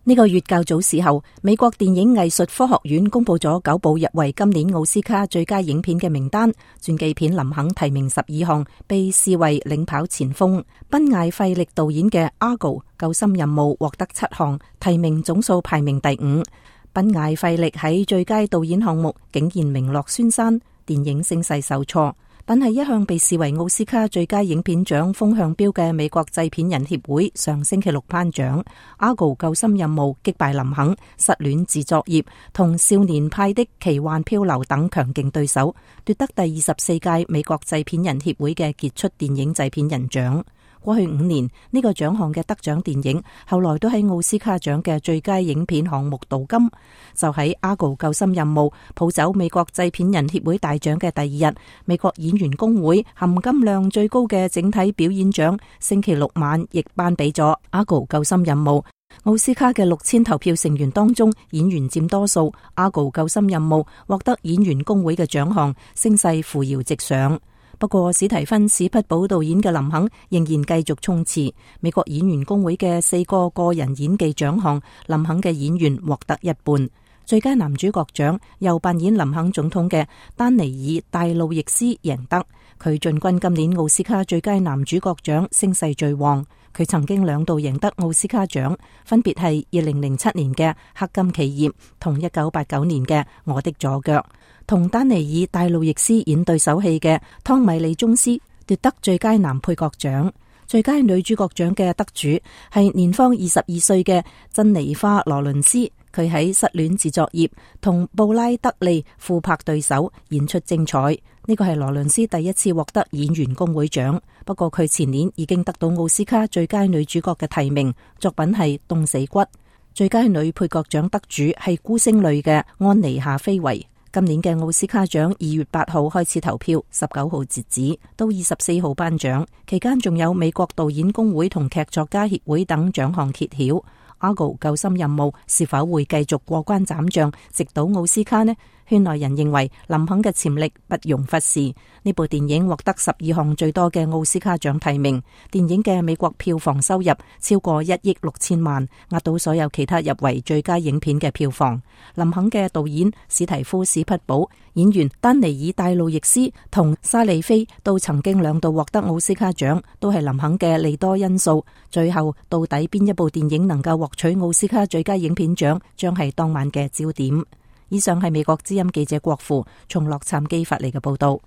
呢個月較早時候，美國電影藝術科學院公布咗9部入圍今年奧斯卡最佳影片嘅名單，傳記片林肯提名12項，被視為領跑前鋒。賓艾費力導演嘅《阿高救心任務》獲得7項提名，總數排名第5。賓艾費力喺最佳導演項目竟然名落孫山，電影聲勢受挫。但係一向被視為奧斯卡最佳影片獎風向標嘅美國製片人協會上星期六頒獎，《阿高救心任務》擊敗林肯、失戀自作業同少年派的奇幻漂流等強勁對手，奪得第24屆美國製片人協會嘅傑出電影製片人獎。過去5年，呢個獎項嘅得獎電影後來都喺奧斯卡獎嘅最佳影片項目奪金。就喺《阿高救心任務》抱走美國製片人協會大獎嘅第2日，美國演員工會含金量最高嘅整體表演獎星期六晚亦頒俾咗《阿高救心任務》。奧斯卡嘅6000投票成員當中，演員佔多數，《阿高救心任務》獲得演員工會嘅獎項，聲勢扶搖直上。不過史提芬史匹堡導演嘅林肯仍然繼續衝刺。美國演員工會嘅4個個人演技獎項，林肯嘅演員獲得一半。最佳男主角獎由扮演林肯總統嘅丹尼爾戴路易斯贏得，佢進軍今年奧斯卡最佳男主角獎，聲勢最旺。佢曾經2度贏得奧斯卡獎，分別係2007年嘅《黑金企業》同1989年嘅《我的左腳》。同丹尼爾戴路易斯演對手戲嘅湯米利宗斯奪得最佳男配角獎。最佳女主角獎嘅得主係年方22歲嘅珍妮花羅倫斯，佢喺失戀自作業同布拉德利互拍對手，演出精彩。呢個係羅倫斯第一次獲得演員工會獎，不過佢前年已經得到奧斯卡最佳女主角嘅提名，作品係《凍死骨》。最佳女配角獎得主係孤星淚嘅安妮夏菲維。今年嘅奧斯卡獎2月8號開始投票，19號截止，到24號頒獎。期間仲有美國導演工會同劇作家協會等獎項揭曉。阿高救心任務是否會繼續過關斬將，直搗奧斯卡呢？圈內人認為林肯嘅潛力不容忽視。呢部電影獲得12項最多嘅奧斯卡獎提名，電影嘅美國票房收入超過1億6千萬，壓倒所有其他入圍最佳影片嘅票房。林肯嘅導演史提夫史匹堡、演員丹尼爾戴路易斯同沙利菲都曾經2度獲得奧斯卡獎，都係林肯嘅利多因素。最後到底邊一部電影能夠獲取奧斯卡最佳影片獎，將係當晚嘅焦點。以上係美國之音記者郭父從洛杉磯發嚟嘅報道。